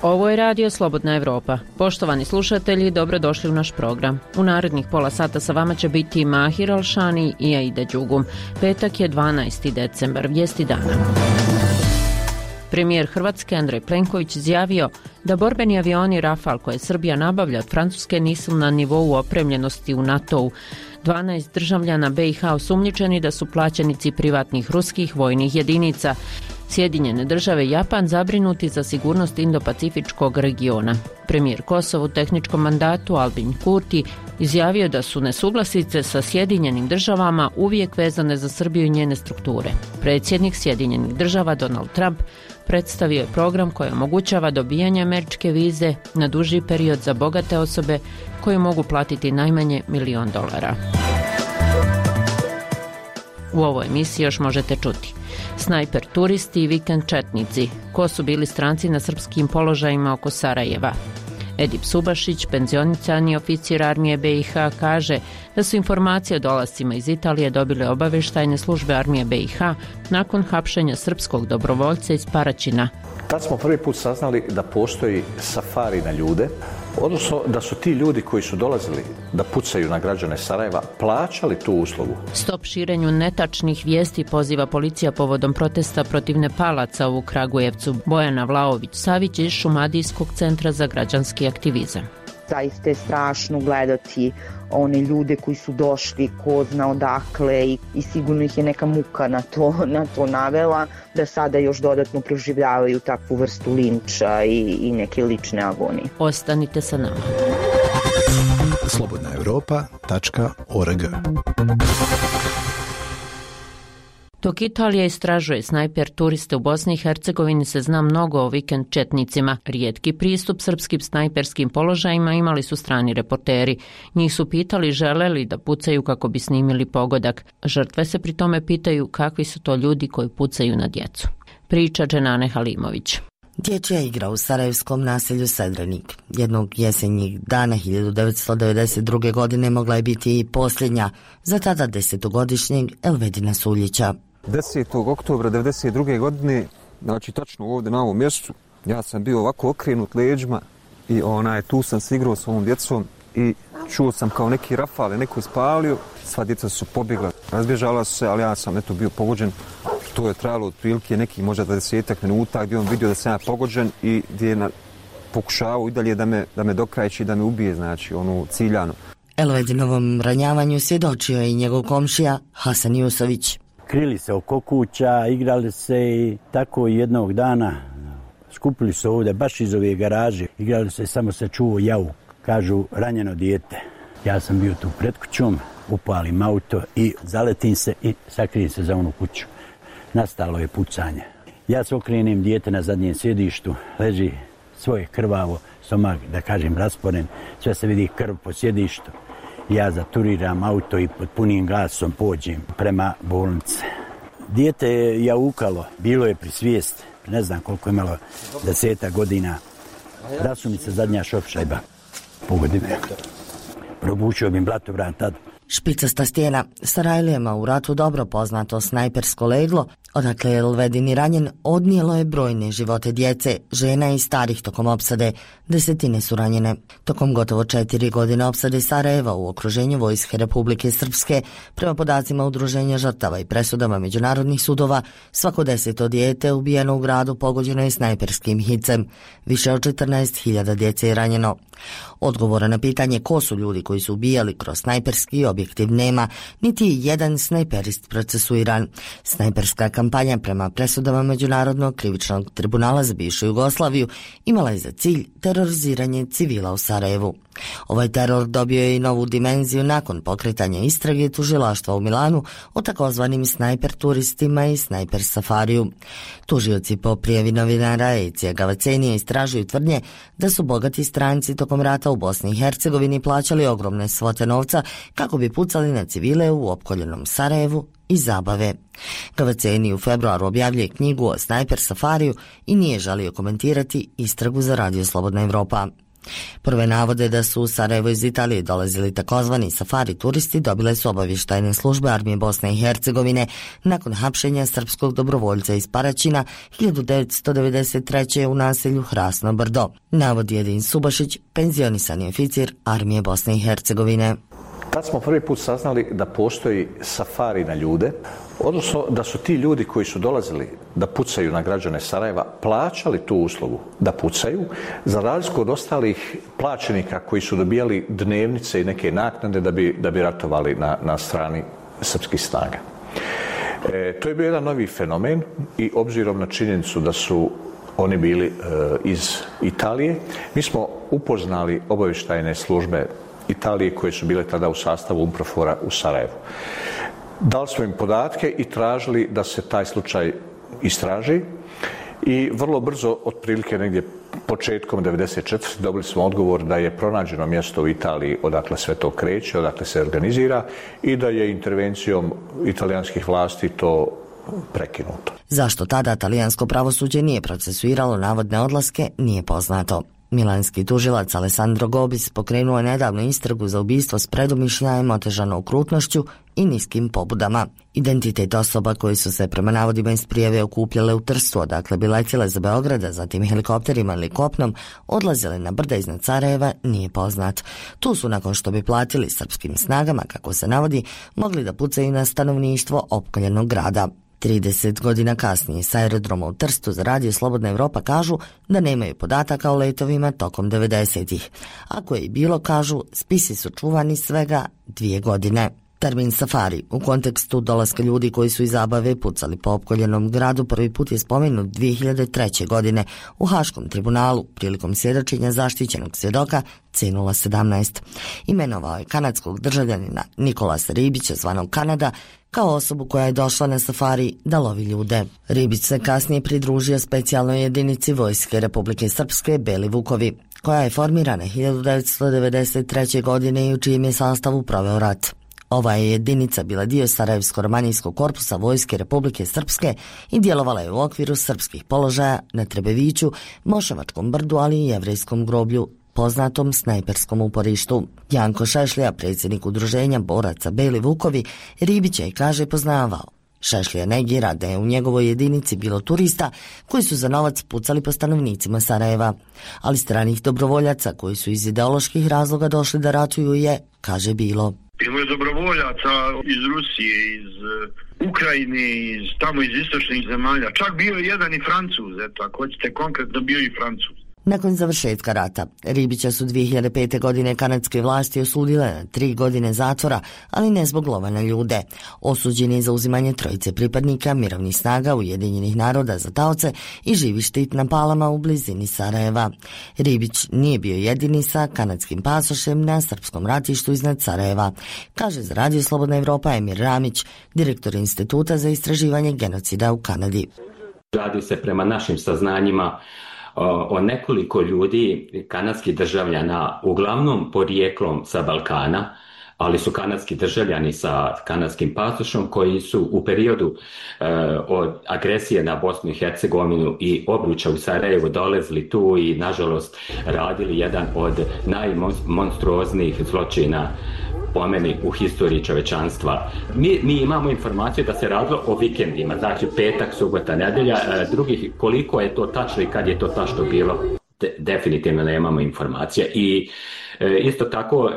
Ovo je Radio Slobodna Evropa. Poštovani slušatelji, dobrodošli u naš program. U narednih pola sata sa vama će biti Mahir Alšani i Aida Đugum. Petak je 12. decembar, vijesti dana. Premijer Hrvatske Andrej Plenković izjavio da borbeni avioni Rafal koje Srbija nabavlja od Francuske nisu na nivou opremljenosti u NATO-u. 12 državljana BiH osumnjičeni da su plaćenici privatnih ruskih vojnih jedinica. Sjedinjene države i Japan zabrinuti za sigurnost Indo-Pacifičkog regiona. Premijer Kosova u tehničkom mandatu Albin Kurti izjavio da su nesuglasice sa Sjedinjenim državama uvijek vezane za Srbiju i njene strukture. Predsjednik Sjedinjenih država Donald Trump predstavio je program koji omogućava dobijanje američke vize na duži period za bogate osobe koje mogu platiti najmanje $1 milion. U ovoj emisiji još možete čuti: snajper turisti i vikend četnici, ko su bili stranci na srpskim položajima oko Sarajeva. Edip Subašić, penzionisani oficir armije BiH, kaže da su informacije o dolascima iz Italije dobile obavještajne službe armije BiH nakon hapšenja srpskog dobrovoljca iz Paraćina. Tad smo prvi put saznali da postoji safari na ljude, odnosno da su ti ljudi koji su dolazili da pucaju na građane Sarajeva plaćali tu uslugu. Stop širenju netačnih vijesti poziva policija povodom protesta protiv Nepalaca u Kragujevcu. Bojana Vlaović-Savić iz Šumadijskog centra za građanski aktivizam. Zaista je strašno gledati one ljude koji su došli ko zna odakle i sigurno ih je neka muka na to navela da sada još dodatno proživljavaju takvu vrstu linča i neke lične agonije. Ostanite sa nama. slobodnaevropa.org. Dok Italija istražuje snajper turiste u Bosni i Hercegovini, se zna mnogo o vikend četnicima. Rijetki pristup srpskim snajperskim položajima imali su strani reporteri. Njih su pitali žele li da pucaju kako bi snimili pogodak. Žrtve se pri tome pitaju kakvi su to ljudi koji pucaju na djecu. Priča Dženane Halimović. Dječja igra u sarajevskom naselju Sedrenik. Jednog jesenjih dana 1992. godine mogla je biti i posljednja za tada 10-godišnjeg Elvedina Suljića. 10. oktobra 1992. godine, znači tačno ovdje na ovom mjestu, ja sam bio ovako okrenut leđima i tu sam se igrao s ovom djecom i čuo sam kao neki rafale, neko ispalio, sva djeca su pobjegla, razbježala su se, ali ja sam bio pogođen. To je trajalo otprilike neki možda 20 minuta gdje on vidio da sam ja pogođen i gdje je pokušavao i dalje da me dokrajči, da me ubije, znači ciljano. Elvedinovom ranjavanju svjedočio je i njegov komšija Hasan Jusović. Krili se oko kuća, igrali se i tako jednog dana skupili se ovdje baš iz ove garaže. Igrali se, samo se čuo javu, kažu ranjeno dijete. Ja sam bio tu pred kućom, upalim auto i zaletim se i sakrijem se za onu kuću. Nastalo je pucanje. Ja se okrenem, dijete na zadnjem sjedištu, leži svoje krvavo, stomak, da kažem, rasporen, sve se vidi krv po sjedištu. Ja zaturiram auto i pod punim gasom pođem prema bolnice. Dijete je jaukalo, bilo je pri svijesti, ne znam koliko je imalo, 10 godina. Rasumica zadnja šopšajba, pogodine. Probučio bi blatobran tad. Špicasta stijena, Sarajlijama u ratu dobro poznato snajpersko leglo, odakle je Elvedini ranjen, odnijelo je brojne živote djece, žena i starih tokom opsade. Desetine su ranjene. Tokom gotovo 4 godine opsade Sarajeva u okruženju Vojske Republike Srpske, prema podacima Udruženja žrtava i presudama međunarodnih sudova, svako 10. dijete ubijeno u gradu pogođeno je snajperskim hicem. Više od 14.000 djece je ranjeno. Odgovora na pitanje ko su ljudi koji su ubijali kroz snajperski objektiv nema, niti je jedan snajperist procesuiran. Snajperska kampanja prema presudama Međunarodnog krivičnog tribunala za bivšu Jugoslaviju imala je za cilj teroriziranje civila u Sarajevu. Ovaj teror dobio je i novu dimenziju nakon pokretanja istrage tužilaštva u Milanu o takozvanim snajper turistima i snajper safariju. Tužioci po prijavi novinara Ecija Gavacenija istražuju tvrdnje da su bogati stranci tokom rata u Bosni i Hercegovini plaćali ogromne svote novca kako bi pucali na civile u opkoljenom Sarajevu i zabave. Gavaceni u februaru objavljuje knjigu o snajper safariju i nije želio komentirati istragu za Radio Slobodna Evropa. Prve navode da su u Sarajevo iz Italije dolazili takozvani safari turisti dobile su obavještajne službe Armije Bosne i Hercegovine nakon hapšenja srpskog dobrovoljca iz Paraćina 1993. u naselju Hrasno Brdo, navodi Edin Subašić, penzionisani oficir Armije Bosne i Hercegovine. Tad smo prvi put saznali da postoji safari na ljude, odnosno da su ti ljudi koji su dolazili da pucaju na građane Sarajeva plaćali tu uslugu da pucaju, za razliku od ostalih plaćenika koji su dobijali dnevnice i neke naknade da bi ratovali na strani srpskih snaga. To je bio jedan novi fenomen i obzirom na činjenicu da su oni bili iz Italije, mi smo upoznali obavještajne službe Italije koje su bile tada u sastavu UNPROFOR-a u Sarajevu. Dali smo im podatke i tražili da se taj slučaj istraži i vrlo brzo, otprilike negdje početkom 1994. dobili smo odgovor da je pronađeno mjesto u Italiji odakle sve to kreće, odakle se organizira i da je intervencijom italijanskih vlasti to prekinuto. Zašto tada talijansko pravosuđe nije procesuiralo navodne odlaske, nije poznato. Milanski tužilac Alessandro Gobis pokrenuo je nedavno istragu za ubistvo s predumišljajem, otežano okrutnošću i niskim pobudama. Identitet osoba koji su se prema navodima iz prijave okupljale u Trstu, odakle bi letjele za Beograda, zatim helikopterima ili kopnom, odlazile na brda iznad Sarajeva, nije poznat. Tu su, nakon što bi platili srpskim snagama, kako se navodi, mogli da pucaju na stanovništvo opkoljenog grada. 30 godina kasnije s aerodroma u Trstu za Radio Slobodna Evropa kažu da nemaju podataka o letovima tokom 90-ih. Ako je i bilo, kažu, spisi su čuvani svega 2 godine. Termin safari u kontekstu dolaska ljudi koji su iz zabave pucali po opkoljenom gradu prvi put je spomenut 2003. godine u Haškom tribunalu prilikom svjedočenja zaštićenog svjedoka C017. Imenovao je kanadskog državljanina Nikolasa Ribića, zvanog Kanada, kao osobu koja je došla na safari da lovi ljude. Ribić se kasnije pridružio specijalnoj jedinici Vojske Republike Srpske Beli Vukovi, koja je formirana 1993. godine i u čijem je sastavu proveo rat. Ova je jedinica bila dio Sarajevsko-romanijskog korpusa Vojske Republike Srpske i djelovala je u okviru srpskih položaja na Trebeviću, Moševačkom brdu, ali i Jevrejskom groblju, poznatom snajperskom uporištu. Janko Šešlija, predsjednik udruženja boraca Beli Vukovi, Ribića je, kaže, poznavao. Šešlija negira da je u njegovoj jedinici bilo turista koji su za novac pucali po stanovnicima Sarajeva, ali stranih dobrovoljaca koji su iz ideoloških razloga došli da ratuju je, kaže, bilo. Bilo je dobrovoljaca iz Rusije, iz Ukrajine, tamo iz istočnih zemalja. Čak bio je jedan i Francuz, eto, ako hoćete konkretno, bio i Francuz. Nakon završetka rata, Ribića su 2005. godine kanadske vlasti osudile na 3 godine zatvora, ali ne zbog lova na ljude. Osuđen je za uzimanje 3 pripadnika mirovnih snaga Ujedinjenih naroda za taoce i živi štit na Palama u blizini Sarajeva. Ribić nije bio jedini sa kanadskim pasošem na srpskom ratištu iznad Sarajeva, kaže za Radio Slobodna Evropa Emir Ramić, direktor Instituta za istraživanje genocida u Kanadi. Radi se prema našim saznanjima o nekoliko ljudi, kanadskih državljana, uglavnom porijeklom sa Balkana, ali su kanadski državljani sa kanadskim pasošom koji su u periodu od agresije na Bosnu i Hercegovinu i obruča u Sarajevu dolazili tu i, nažalost, radili jedan od najmonstruoznijih zločina po meni u historiji čovečanstva. Mi imamo informaciju da se radilo o vikendima, znači petak, subota, nedelja, drugih koliko je to tačno i kad je to tačno bilo, definitivno nemamo informacija. I isto tako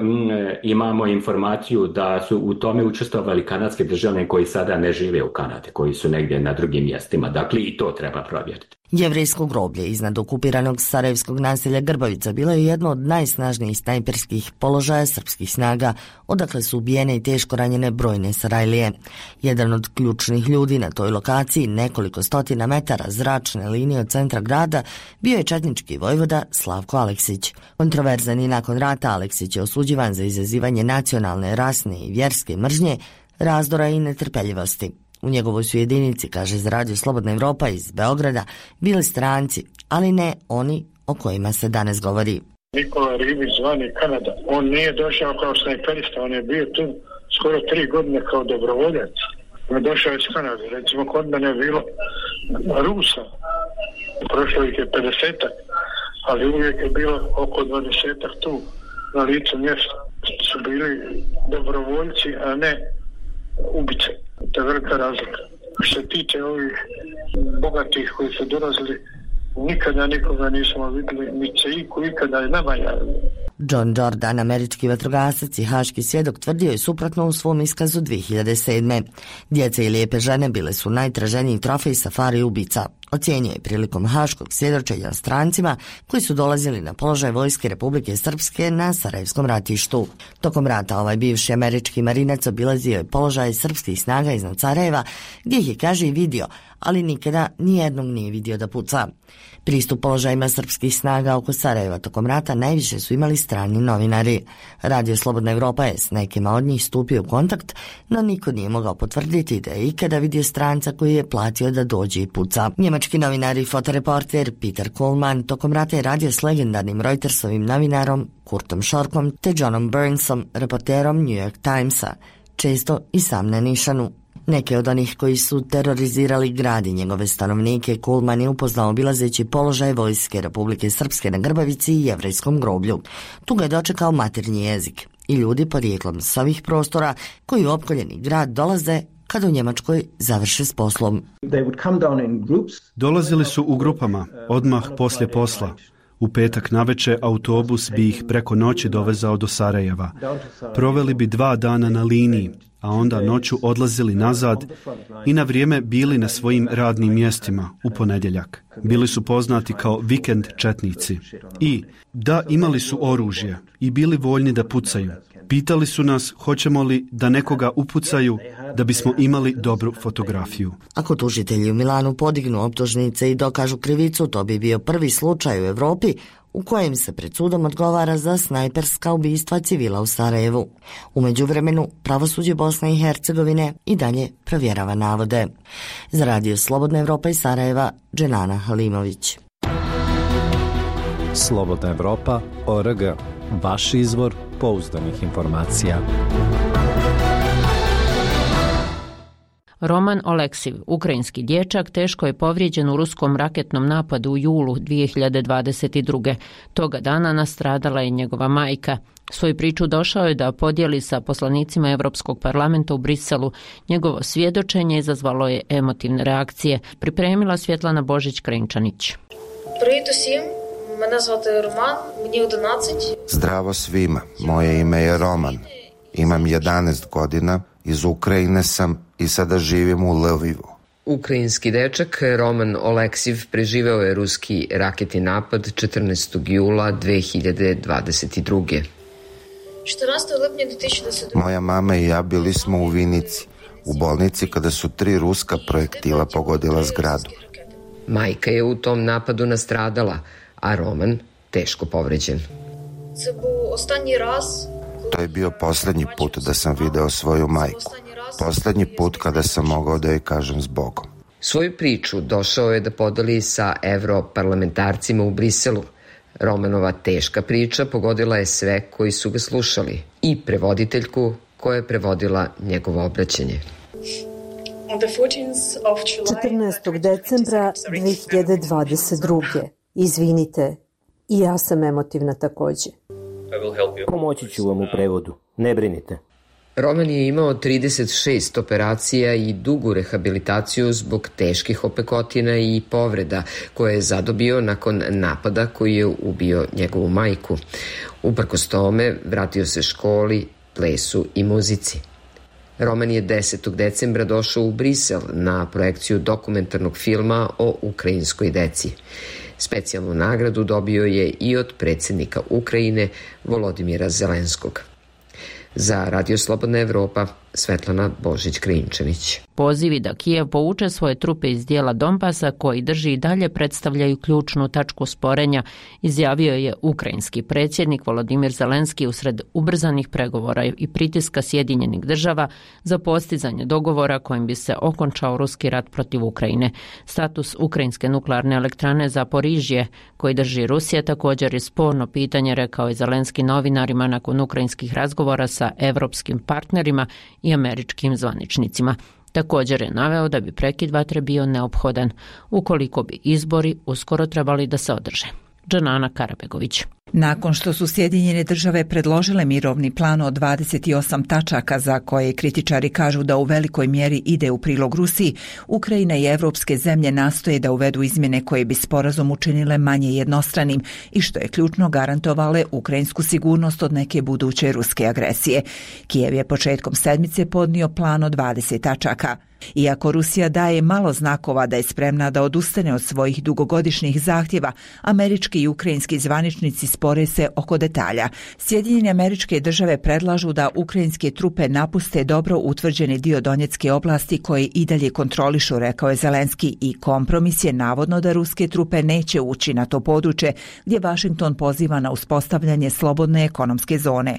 imamo informaciju da su u tome učestvovali kanadski državljani koji sada ne žive u Kanadi, koji su negdje na drugim mjestima. Dakle, i to treba provjeriti. Jevrejsko groblje iznad okupiranog sarajevskog naselja Grbavica bilo je jedno od najsnažnijih snajperskih položaja srpskih snaga, odakle su ubijene i teško ranjene brojne Sarajlije. Jedan od ključnih ljudi na toj lokaciji, nekoliko stotina metara zračne linije od centra grada, bio je četnički vojvoda Slavko Aleksić. Kontroverzan i nakon rata, Aleksić je osuđivan za izazivanje nacionalne, rasne i vjerske mržnje, razdora i netrpeljivosti. U njegovoj su jedinici, kaže za Radio Slobodna Evropa iz Beograda, bili stranci, ali ne oni o kojima se danas govori. Nikola Ribić, zvani Kanada, on nije došao kao snajperista, on je bio tu skoro 3 godine kao dobrovoljac. On je došao iz Kanade, recimo kod mene je bilo Rusa, prošlo ih je 50-ak ali uvijek je bilo oko 20-ak tu na licu mjesta. Su bili dobrovoljci, a ne ubice. To je velika razlika. Što se tiče ovih bogatih koji su dolazili, nikada nikoga nismo vidjeli, ni će ikada je nama javili. John Jordan, američki vatrogasac i haški svjedok, tvrdio je suprotno u svom iskazu 2007. Djece i lijepe žene bile su najtraženiji trofej safari ubica. Ocijenio je prilikom haškog svjedočenja strancima koji su dolazili na položaj vojske Republike Srpske na Sarajevskom ratištu. Tokom rata ovaj bivši američki marinac obilazio je položaj srpskih snaga iznad Sarajeva, gdje ih je, kaže, i vidio, ali nikada nijednog nije vidio da puca. Pristup položajima srpskih snaga oko Sarajeva tokom rata najviše su imali strani novinari. Radio Slobodna Evropa je s nekima od njih stupio u kontakt, no niko nije mogao potvrditi da je ikada vidio stranca koji je platio da dođe i puca. Njemački novinar i fotoreporter Peter Kohlmann tokom rata je radio s legendarnim Reutersovim novinarom Kurtom Šorkom te Johnom Burnsom, reporterom New York Timesa, često i sam na nišanu. Neke od onih koji su terorizirali grad i njegove stanovnike Kohlmann je upoznao obilazeći položaj vojske Republike Srpske na Grbavici i Jevrejskom groblju. Tu ga je dočekao maternji jezik i ljudi porijeklom s ovih prostora koji u opkoljeni grad dolaze kada u Njemačkoj završe s poslom. Dolazili su u grupama, odmah poslije posla. U petak navečer autobus bi ih preko noći dovezao do Sarajeva. Proveli bi 2 dana na liniji, a onda noću odlazili nazad i na vrijeme bili na svojim radnim mjestima u ponedjeljak. Bili su poznati kao vikend četnici. I da, imali su oružje i bili voljni da pucaju. Pitali su nas hoćemo li da nekoga upucaju da bismo imali dobru fotografiju. Ako tužitelji u Milanu podignu optužnice i dokažu krivicu, to bi bio prvi slučaj u Evropi u kojem se pred sudom odgovara za snajperska ubistva civila u Sarajevu. U međuvremenu, pravosuđe Bosne i Hercegovine i dalje provjerava navode. Za Radio Slobodna Evropa iz Sarajeva, Dženana Halimović. Slobodna Evropa.org. Vaš izvor pouzdanih informacija. Roman Oleksiv, ukrajinski dječak, teško je povrijeđen u ruskom raketnom napadu u julu 2022. Toga dana nastradala je njegova majka. Svoju priču došao je da podijeli sa poslanicima Europskog parlamenta u Briselu. Njegovo svjedočenje izazvalo je emotivne reakcije. Pripremila Svjetlana Božić-Krenčanić. Привіт усім. Мене звати Роман, мені 11. Zdravo svima, moje ime je Roman. Imam 11 godina, iz Ukrajine sam i sada živim u Lvivu. Ukrajinski dečak Roman Oleksiv preživeo je ruski raketni napad 14. jula 2022. 14. lipnja 2022. Moja mama i ja bili smo u Vinici, u bolnici kada su 3 ruska projektila pogodila zgradu. Majka je u tom napadu nastradala, a Roman teško povređen. To je bio posljednji put da sam video svoju majku. Posljednji put kada sam mogao da joj kažem zbogom. Svoju priču došao je da podeli sa europarlamentarcima u Briselu. Romanova teška priča pogodila je sve koji su ga slušali i prevoditeljku koja je prevodila njegovo obraćanje. 14. decembra 2022. Izvinite, i ja sam emotivna također. Pomoći ću vam u prevodu, ne brinite. Roman je imao 36 operacija i dugu rehabilitaciju zbog teških opekotina i povreda koje je zadobio nakon napada koji je ubio njegovu majku. Uprkos tome, vratio se školi, plesu i muzici. Roman je 10. decembra došao u Brisel na projekciju dokumentarnog filma o ukrajinskoj deci. Specijalnu nagradu dobio je i od predsjednika Ukrajine Volodimira Zelenskog. Za Radio Slobodna Evropa, Svetlana Božić-Krinčanić. Pozivi da Kijev povuče svoje trupe iz dijela Donbasa koji drži i dalje predstavljaju ključnu tačku sporenja, izjavio je ukrajinski predsjednik Volodimir Zelenski usred ubrzanih pregovora i pritiska Sjedinjenih država za postizanje dogovora kojim bi se okončao ruski rat protiv Ukrajine. Status ukrajinske nuklearne elektrane Zaporižje koji drži Rusija također je sporno pitanje, rekao je Zelenski novinarima nakon ukrajinskih razgovora sa evropskim partnerima i američkim zvaničnicima. Također je naveo da bi prekid vatre bio neophodan ukoliko bi izbori uskoro trebali da se održe. Džanana Karabegović. Nakon što su Sjedinjene države predložile mirovni plan od 28 tačaka za koje kritičari kažu da u velikoj mjeri ide u prilog Rusiji, Ukrajina i evropske zemlje nastoje da uvedu izmjene koje bi sporazum učinile manje jednostranim i što je ključno garantovale ukrajinsku sigurnost od neke buduće ruske agresije. Kijev je početkom sedmice podnio plan od 20 tačaka. Iako Rusija daje malo znakova da je spremna da odustane od svojih dugogodišnjih zahtjeva, američki i ukrajinski zvaničnici spore se oko detalja. Sjedinjene Američke Države predlažu da ukrajinske trupe napuste dobro utvrđeni dio Donjecke oblasti koje i dalje kontrolišu, rekao je Zelenski, i kompromis je navodno da ruske trupe neće ući na to područje gdje Washington poziva na uspostavljanje slobodne ekonomske zone.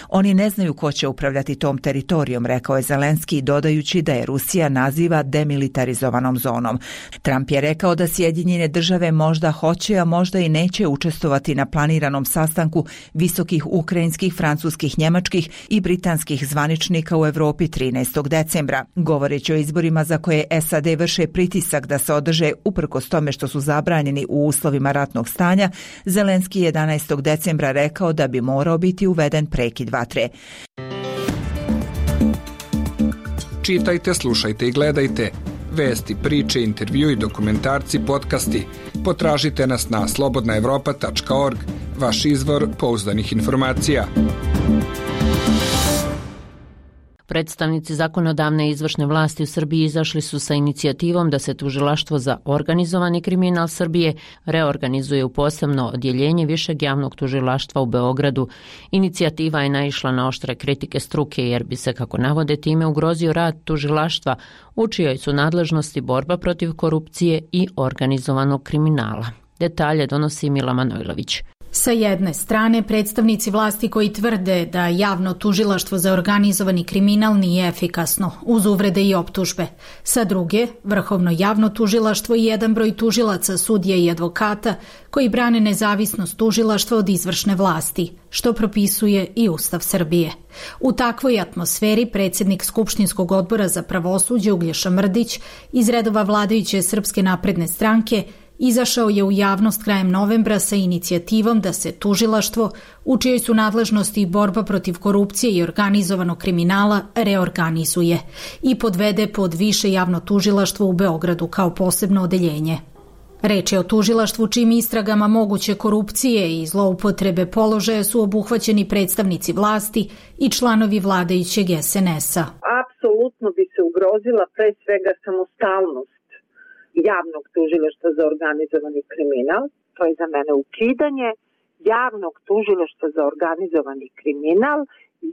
Oni ne znaju ko će upravljati tom teritorijom, rekao je Zelenski, dodajući da je Rusija naziva demilitarizovanom zonom. Trump je rekao da Sjedinjene Države možda hoće, a možda i neće učestvovati na planiranom sastanku visokih ukrajinskih, francuskih, njemačkih i britanskih zvaničnika u Europi 13. decembra. Govoreći o izborima za koje SAD vrše pritisak da se održe uprkos tome što su zabranjeni u uslovima ratnog stanja, Zelenski 11. decembra rekao da bi morao biti uveden prekid vatre. Čitajte, slušajte i gledajte. Vesti, priče, intervju i dokumentarci, podcasti. Potražite nas na slobodnaevropa.org, vaš izvor pouzdanih informacija. Predstavnici zakonodavne i izvršne vlasti u Srbiji izašli su sa inicijativom da se Tužilaštvo za organizovani kriminal Srbije reorganizuje u posebno odjeljenje Višeg javnog tužilaštva u Beogradu. Inicijativa je naišla na oštre kritike struke jer bi se, kako navode, time ugrozio rad tužilaštva, u čijoj su nadležnosti borba protiv korupcije i organizovanog kriminala. Detalje donosi Mila Manojlović. Sa jedne strane, predstavnici vlasti koji tvrde da javno tužilaštvo za organizovani kriminal nije efikasno, uz uvrede i optužbe. Sa druge, vrhovno javno tužilaštvo i jedan broj tužilaca, sudija i advokata koji brane nezavisnost tužilaštva od izvršne vlasti, što propisuje i Ustav Srbije. U takvoj atmosferi predsjednik Skupštinskog odbora za pravosuđe Uglješa Mrdić iz redova vladajuće Srpske napredne stranke izašao je u javnost krajem novembra sa inicijativom da se tužilaštvo, u čijoj su nadležnosti i borba protiv korupcije i organizovanog kriminala, reorganizuje i podvede pod Više javno tužilaštvo u Beogradu kao posebno odeljenje. Reč je o tužilaštvu čim istragama moguće korupcije i zloupotrebe položaja su obuhvaćeni predstavnici vlasti i članovi vladajućeg SNS-a. Apsolutno bi se ugrozila pre svega samostalnost javnog tužilaštva za organizovani kriminal. To je za mene ukidanje javnog tužilaštva za organizovani kriminal,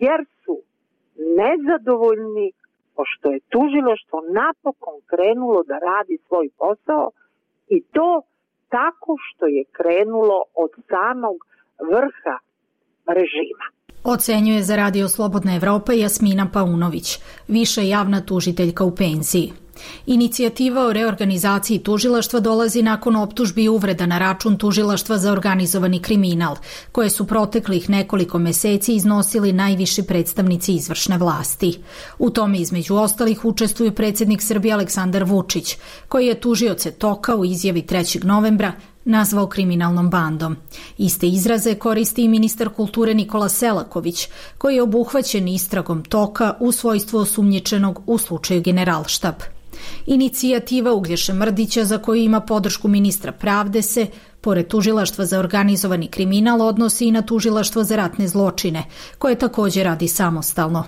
jer su nezadovoljni pošto je tužilaštvo napokon krenulo da radi svoj posao, i to tako što je krenulo od samog vrha režima. Ocenjuje za Radio Slobodna Evropa Jasmina Paunović, viša javna tužiteljka u penziji. Inicijativa o reorganizaciji tužilaštva dolazi nakon optužbi i uvreda na račun tužilaštva za organizovani kriminal, koje su proteklih nekoliko meseci iznosili najviši predstavnici izvršne vlasti. U tome između ostalih učestvuju predsjednik Srbije Aleksandar Vučić, koji je tužioce Toka u izjavi 3. novembra nazvao kriminalnom bandom. Iste izraze koristi i ministar kulture Nikola Selaković, koji je obuhvaćen istragom Toka u svojstvu osumnjičenog u slučaju Generalštab. Inicijativa Uglješe Mrdića, za koju ima podršku ministra pravde, se, pored tužilaštva za organizovani kriminal, odnosi i na tužilaštvo za ratne zločine, koje također radi samostalno.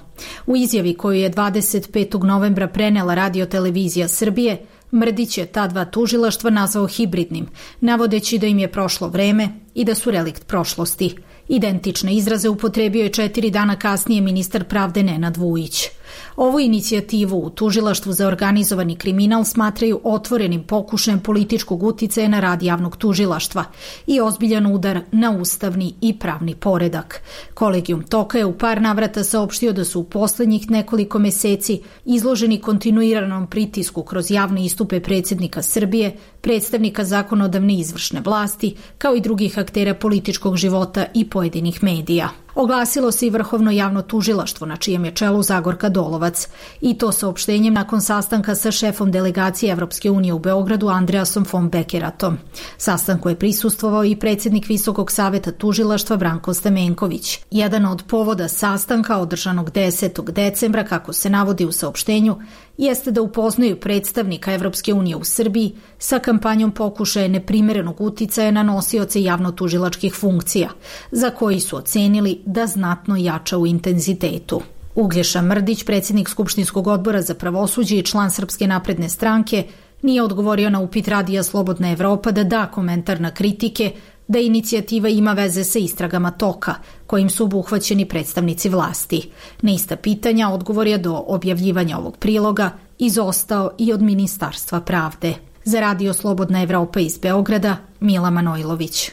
U izjavi koju je 25. novembra prenela Radio-televizija Srbije, Mrdić je ta dva tužilaštva nazvao hibridnim, navodeći da im je prošlo vreme i da su relikt prošlosti. Identične izraze upotrebio je 4 dana kasnije ministar pravde Nenad Vujić. Ovu inicijativu u tužilaštvu za organizovani kriminal smatraju otvorenim pokušajem političkog uticaja na rad javnog tužilaštva i ozbiljan udar na ustavni i pravni poredak. Kolegijum Toka je u par navrata saopštio da su u poslednjih nekoliko meseci izloženi kontinuiranom pritisku kroz javne istupe predsjednika Srbije, predstavnika zakonodavne i izvršne vlasti, kao i drugih aktera političkog života i pojedinih medija. Oglasilo se i Vrhovno javno tužilaštvo, na čijem je čelu Zagorka Dolovac. I to saopštenjem nakon sastanka sa šefom delegacije Evropske unije u Beogradu Andreasom von Beckeratom. Sastanku je prisustvovao i predsjednik Visokog saveta tužilaštva Branko Stamenković. Jedan od povoda sastanka održanog 10. decembra, kako se navodi u saopštenju, jeste da upoznaju predstavnika Evropske unije u Srbiji sa kampanjom pokušaja neprimerenog uticaja na nosioce javno-tužilačkih funkcija, za koji su ocenili da znatno jača u intenzitetu. Uglješa Mrdić, predsjednik Skupštinskog odbora za pravosuđe i član Srpske napredne stranke, nije odgovorio na upit Radija Slobodna Evropa da da komentar na kritike da inicijativa ima veze sa istragama Toka, kojim su obuhvaćeni predstavnici vlasti. Na ista pitanja odgovor je do objavljivanja ovog priloga izostao i od Ministarstva pravde. Za Radio Slobodna Evropa iz Beograda, Mila Manojlović.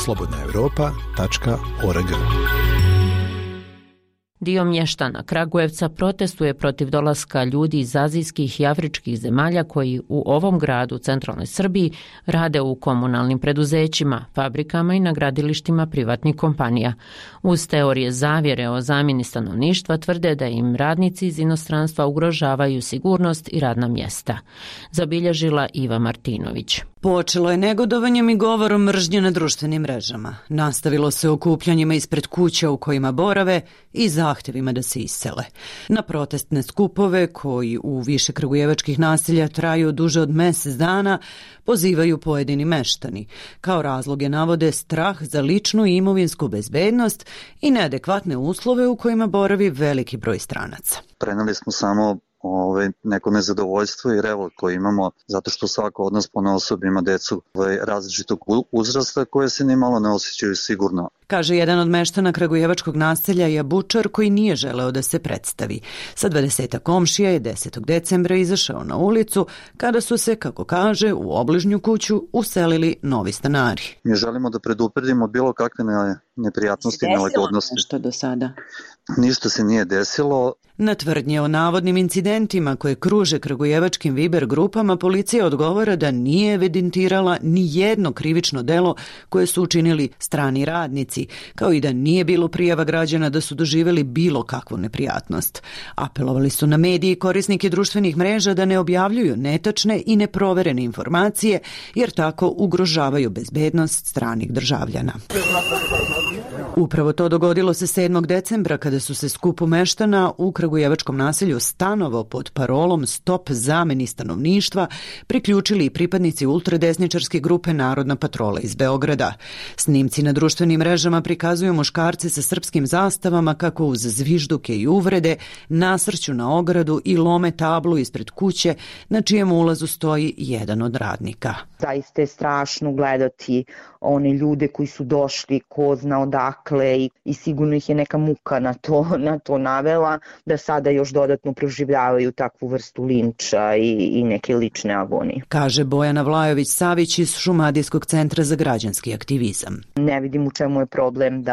slobodnaevropa.org. Dio mještana Kragujevca protestuje protiv dolaska ljudi iz azijskih i afričkih zemalja koji u ovom gradu, centralnoj Srbiji, rade u komunalnim preduzećima, fabrikama i na gradilištima privatnih kompanija. Uz teorije zavjere o zamjeni stanovništva tvrde da im radnici iz inostranstva ugrožavaju sigurnost i radna mjesta. Zabilježila Iva Martinović. Počelo je negodovanjem i govorom mržnje na društvenim mrežama. Nastavilo se okupljanjima ispred kuća u kojima borave i zahtjevima da se isele. Na protestne skupove, koji u više kragujevačkih naselja traju duže od mjesec dana, pozivaju pojedini meštani. Kao razloge navode strah za ličnu i imovinsku bezbednost i neadekvatne uslove u kojima boravi veliki broj stranaca. Preneli smo samo neko nezadovoljstvo i revolt koji imamo, zato što svako od nas ponaosob ima decu različitog uzrasta koje se ni malo ne osjećaju sigurno. Kaže jedan od meštana kragujevačkog naselja Jabučar, koji nije želeo da se predstavi. Sa 20 komšija je 10. decembra izašao na ulicu kada su se, kako kaže, u obližnju kuću uselili novi stanari. Mi želimo da predupredimo bilo kakve neprijatnosti i nelagodnosti. Nešto do sada? Ništa se nije desilo. Na tvrdnje o navodnim incidentima koje kruže kragujevačkim Viber grupama, policija odgovara da nije evidentirala ni jedno krivično delo koje su učinili strani radnici, kao i da nije bilo prijava građana da su doživjeli bilo kakvu neprijatnost. Apelovali su na medije i korisnike društvenih mreža da ne objavljuju netačne i neproverene informacije, jer tako ugrožavaju bezbednost stranih državljana. Upravo to dogodilo se 7. decembra kada su se skupu meštana u kragujevačkom naselju Stanovo pod parolom Stop zameni stanovništva priključili i pripadnici ultradesničarske grupe Narodna patrola iz Beograda. Snimci na društvenim mrežama prikazuju muškarce sa srpskim zastavama kako uz zvižduke i uvrede nasrću na ogradu i lome tablu ispred kuće na čijem ulazu stoji jedan od radnika. Zaista je strašno gledati one ljude koji su došli ko zna odakle i sigurno ih je neka muka na to navela da sada još dodatno proživljavaju takvu vrstu linča i neke lične agonije. Kaže Bojana Vlajović-Savić iz Šumadijskog centra za građanski aktivizam. Ne vidim u čemu je problem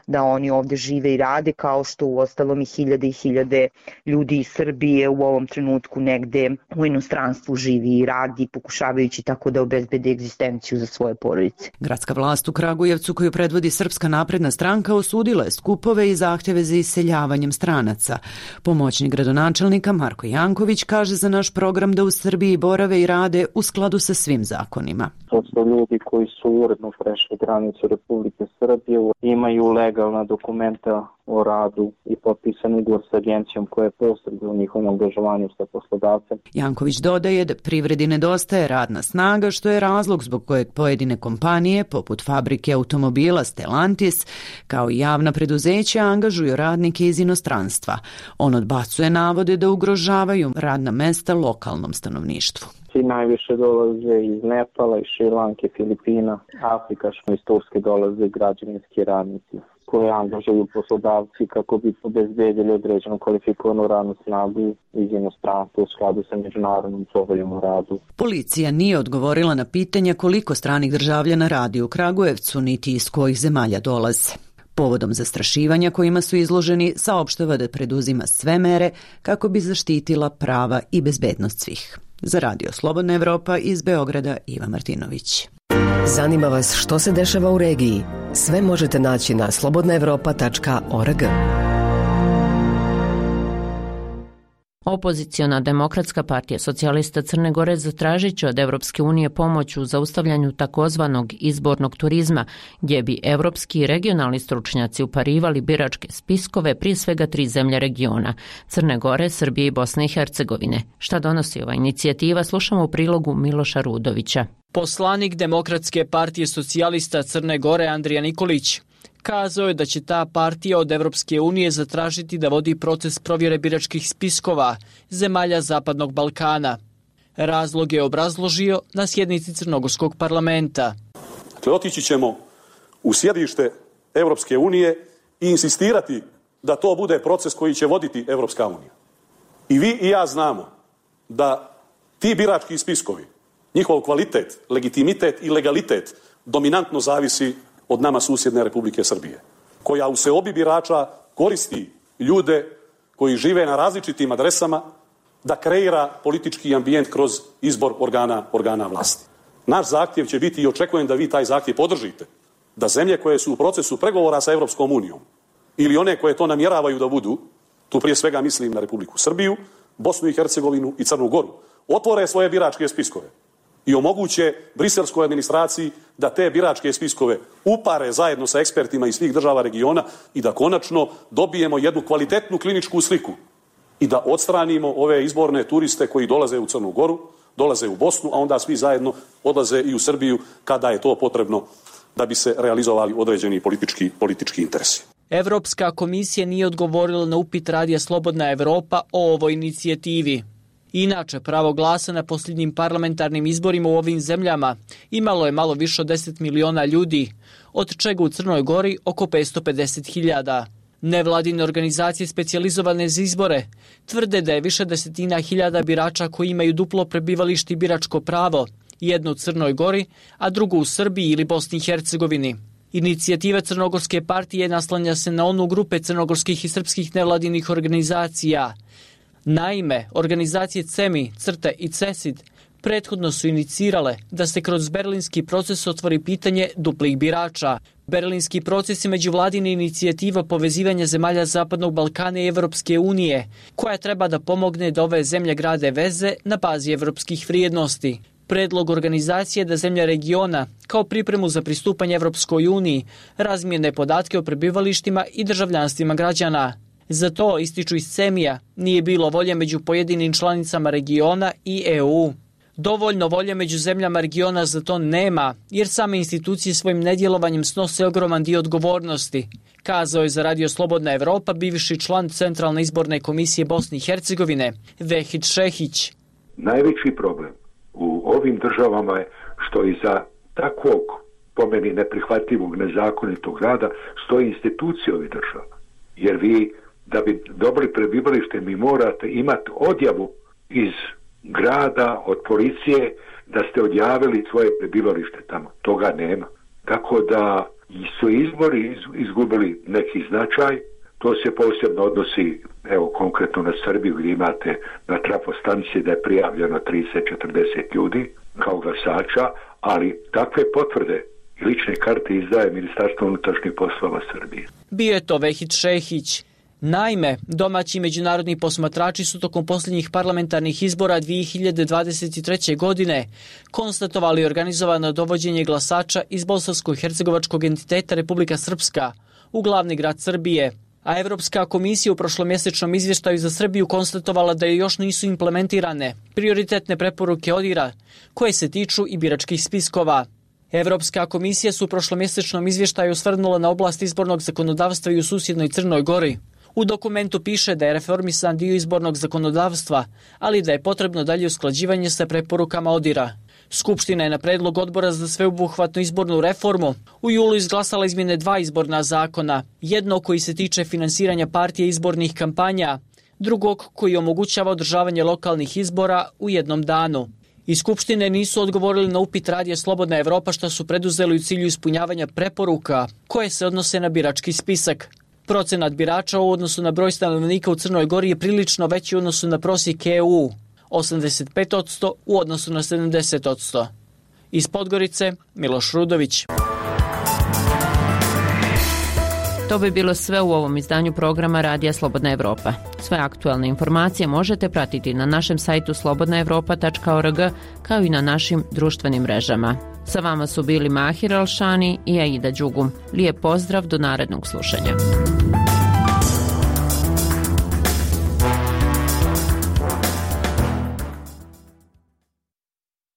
da oni ovdje žive i rade, kao što u ostalom i hiljade ljudi iz Srbije u ovom trenutku negde u inostranstvu živi i radi, pokušavajući tako da obezbede egzistenciju za svoje porodice. Gradska vlast u Kragujevcu, koju predvodi Srpska napredna stranka, osudila je skupove i zahtjeve za iseljavanjem stranaca. Pomoćnik gradonačelnika Marko Janković kaže za naš program da u Srbiji borave i rade u skladu sa svim zakonima. To su ljudi koji su uredno prešli granicu Republike Srbije, imaju legalna dokumenta o radu i potpisan ugovor sa agencijom koja je posreduje u njihovom angažovanju sa poslodavcem. Janković dodaje da privredi nedostaje radna snaga, što je razlog zbog kojeg pojedine kompanije, poput fabrike automobila Stellantis, kao i javna preduzeća, angažuju radnike iz inostranstva. On odbacuje navode da ugrožavaju radna mesta lokalnom stanovništvu. Najviše dolaze iz Nepala, iz Šrilanke, Filipina, Afrika, iz Turske dolaze građevinski radnici koje angažuju poslodavci kako bi obezbedili određenu kvalifikovanu radnu snagu iz inostranstva u skladu sa međunarodnom poveljom o radu. Policija nije odgovorila na pitanja koliko stranih državljana radi u Kragujevcu, niti iz kojih zemalja dolaze. Povodom zastrašivanja kojima su izloženi, saopštava da preduzima sve mere kako bi zaštitila prava i bezbednost svih. Za Radio Slobodna Evropa iz Beograda, Iva Martinović. Zanima vas što se dešava u regiji? Sve možete naći na slobodnaevropa.org. Opoziciona Demokratska partija socijalista Crne Gore zatražit će od Evropske unije pomoć u zaustavljanju takozvanog izbornog turizma, gdje bi evropski i regionalni stručnjaci uparivali biračke spiskove prije svega 3 zemlje regiona, Crne Gore, Srbije i Bosne i Hercegovine. Šta donosi ova inicijativa, slušamo u prilogu Miloša Rudovića. Poslanik Demokratske partije socijalista Crne Gore Andrija Nikolić kazao je da će ta partija od Evropske unije zatražiti da vodi proces provjere biračkih spiskova zemalja Zapadnog Balkana. Razlog je obrazložio na sjednici Crnogorskog parlamenta. Dakle, otići ćemo u sjedište Evropske unije i insistirati da to bude proces koji će voditi Evropska unija. I vi i ja znamo da ti birački spiskovi, njihov kvalitet, legitimitet i legalitet dominantno zavisi od nama susjedne Republike Srbije, koja u seobi birača koristi ljude koji žive na različitim adresama da kreira politički ambijent kroz izbor organa vlasti. Naš zahtjev će biti, i očekujem da vi taj zahtjev podržite, da zemlje koje su u procesu pregovora sa Evropskom unijom ili one koje to namjeravaju da budu, tu prije svega mislim na Republiku Srbiju, Bosnu i Hercegovinu i Crnu Goru, otvore svoje biračke spiskove i omoguće briselskoj administraciji da te biračke spiskove upare zajedno sa ekspertima iz svih država regiona i da konačno dobijemo jednu kvalitetnu kliničku sliku i da odstranimo ove izborne turiste koji dolaze u Crnu Goru, dolaze u Bosnu, a onda svi zajedno odlaze i u Srbiju kada je to potrebno da bi se realizovali određeni politički interesi. Evropska komisija nije odgovorila na upit radija Slobodna Evropa o ovoj inicijativi. Inače, pravo glasa na posljednjim parlamentarnim izborima u ovim zemljama imalo je malo više od 10 miliona ljudi, od čega u Crnoj Gori oko 550.000. Nevladine organizacije specijalizovane za izbore tvrde da je više desetina hiljada birača koji imaju duplo prebivalište i biračko pravo, jedno u Crnoj Gori, a drugo u Srbiji ili Bosni i Hercegovini. Inicijativa Crnogorske partije naslanja se na onu grupe crnogorskih i srpskih nevladinih organizacija. Naime, organizacije CEMI, CRTE i CESID prethodno su inicirale da se kroz berlinski proces otvori pitanje duplih birača. Berlinski proces je međuvladina inicijativa povezivanja zemalja Zapadnog Balkana i Evropske unije, koja treba da pomogne da ove zemlje grade veze na bazi evropskih vrijednosti. Predlog organizacije da zemlja regiona, kao pripremu za pristupanje Evropskoj uniji, razmijene podatke o prebivalištima i državljanstvima građana. Za to, ističu iz CEMI-a, nije bilo volje među pojedinim članicama regiona i EU. Dovoljno volje među zemljama regiona za to nema, jer same institucije svojim nedjelovanjem snose ogroman dio odgovornosti, kazao je za Radio Slobodna Evropa bivši član Centralne izborne komisije Bosne i Hercegovine, Vehid Šehić. Najveći problem u ovim državama je što iza takvog, po meni neprihvatljivog, nezakonitog rada stoji institucije ovih država. Jer vi, da bi dobili prebivalište, mi morate imati odjavu iz grada, od policije, da ste odjavili svoje prebivalište tamo. Toga nema. Tako da su izbori izgubili neki značaj. To se posebno odnosi, evo konkretno na Srbiju, gdje imate na trafostanici da je prijavljeno 30-40 ljudi kao glasača, ali takve potvrde i lične karte izdaje Ministarstvo unutrašnjih poslova Srbije. Bio je to Vehid Šehić. Naime, domaći međunarodni posmatrači su tokom posljednjih parlamentarnih izbora 2023. godine konstatovali organizovano dovođenje glasača iz bosansko-hercegovačkog entiteta Republika Srpska u glavni grad Srbije, a Evropska komisija u prošlomjesečnom izvještaju za Srbiju konstatovala da još nisu implementirane prioritetne preporuke ODIHR-a koje se tiču i biračkih spiskova. Evropska komisija su u prošlomjesečnom izvještaju osvrnula na oblast izbornog zakonodavstva i u susjednoj Crnoj Gori. U dokumentu piše da je reformisan dio izbornog zakonodavstva, ali da je potrebno dalje usklađivanje sa preporukama ODIHR-a. Skupština je na predlog odbora za sveobuhvatnu izbornu reformu u julu izglasala izmjene 2 izborna zakona, jedno koji se tiče finansiranja partije izbornih kampanja, drugog koji omogućava održavanje lokalnih izbora u jednom danu. Iz Skupštine nisu odgovorili na upit radija Slobodna Evropa što su preduzeli u cilju ispunjavanja preporuka koje se odnose na birački spisak. Procenat birača u odnosu na broj stanovnika u Crnoj Gori je prilično veći u odnosu na prosjek EU, 85% u odnosu na 70%. Iz Podgorice, Miloš Rudović. To bi bilo sve u ovom izdanju programa Radija Slobodna Evropa. Sve aktualne informacije možete pratiti na našem sajtu slobodnaevropa.org kao i na našim društvenim mrežama. Sa vama su bili Mahir Alšani i Aida Đugum. Lijep pozdrav do narednog slušanja.